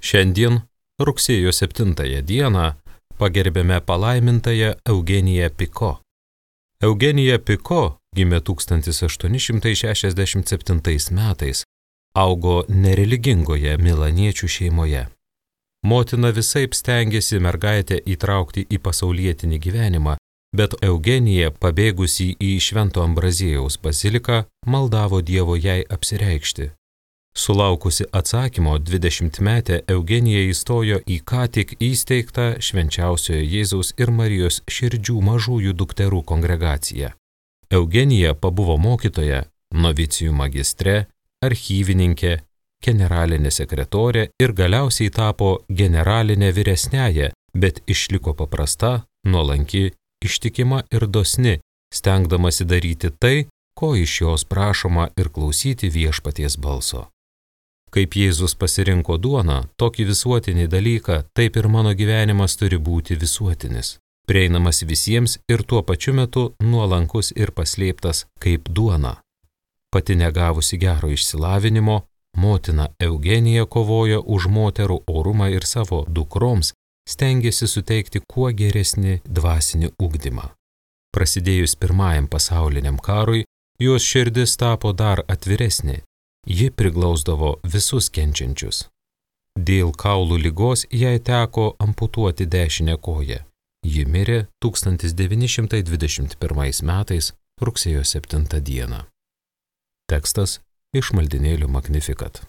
Šiandien, rugsėjo 7 dieną, pagerbėme palaimintąją Eugeniją Piko. Eugenija Piko gimė 1867 metais, augo nereligingoje milaniečių šeimoje. Motina visaip stengėsi mergaitę įtraukti į pasaulietinį gyvenimą, bet Eugenija, pabėgusi į Švento Ambraziejaus baziliką, maldavo Dievo jai apsireikšti. Sulaukusi atsakymo, 20-metė Eugenija įstojo į ką tik įsteigtą Švenčiausiojo Jėzaus ir Marijos širdžių mažųjų dukterų kongregaciją. Eugenija pabuvo mokytoja, novicijų magistre, archyvininkė, generalinė sekretorė ir galiausiai tapo generalinė vyresniaja, bet išliko paprasta, nuolanki, ištikima ir dosni, stengdamasi daryti tai, ko iš jos prašoma ir klausyti viešpaties balso. Kaip Jėzus pasirinko duoną, tokį visuotinį dalyką, taip ir mano gyvenimas turi būti visuotinis, prieinamas visiems ir tuo pačiu metu nuolankus ir paslėptas kaip duona. Pati negavusi gero išsilavinimo, motina Eugenija kovojo už moterų orumą ir savo dukroms stengėsi suteikti kuo geresnį dvasinį ugdymą. Prasidėjus Pirmajam pasauliniam karui, jos širdis tapo dar atviresnė. Ji priglausdavo visus kenčiančius. Dėl kaulų ligos jai teko amputuoti dešinę koją. Ji mirė 1921 metais rugsėjo 7 dieną. Tekstas iš maldynėlių Magnificat.